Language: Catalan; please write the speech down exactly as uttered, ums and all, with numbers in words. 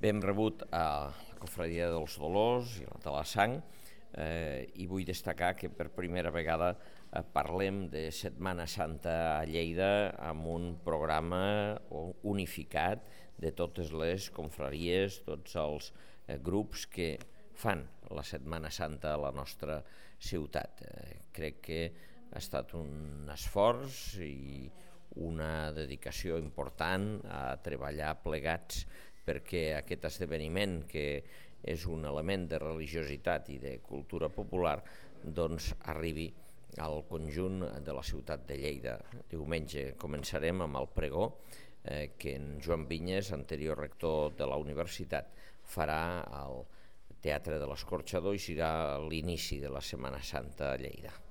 Ben rebut a la Confraria dels Dolors i la de la Sang, eh, i vull destacar que per primera vegada eh, parlem de Setmana Santa a Lleida amb un programa unificat de totes les confraries, tots els eh, grups que fan la Setmana Santa a la nostra ciutat. Eh, crec que ha estat un esforç i una dedicació important a treballar plegats perquè aquest esdeveniment, que és un element de religiositat i de cultura popular, doncs arribi al conjunt de la ciutat de Lleida. Diumenge començarem amb el pregó eh, que en Joan Vinyes, anterior rector de la universitat, farà al Teatre de l'Escorxador i serà l'inici de la Setmana Santa a Lleida.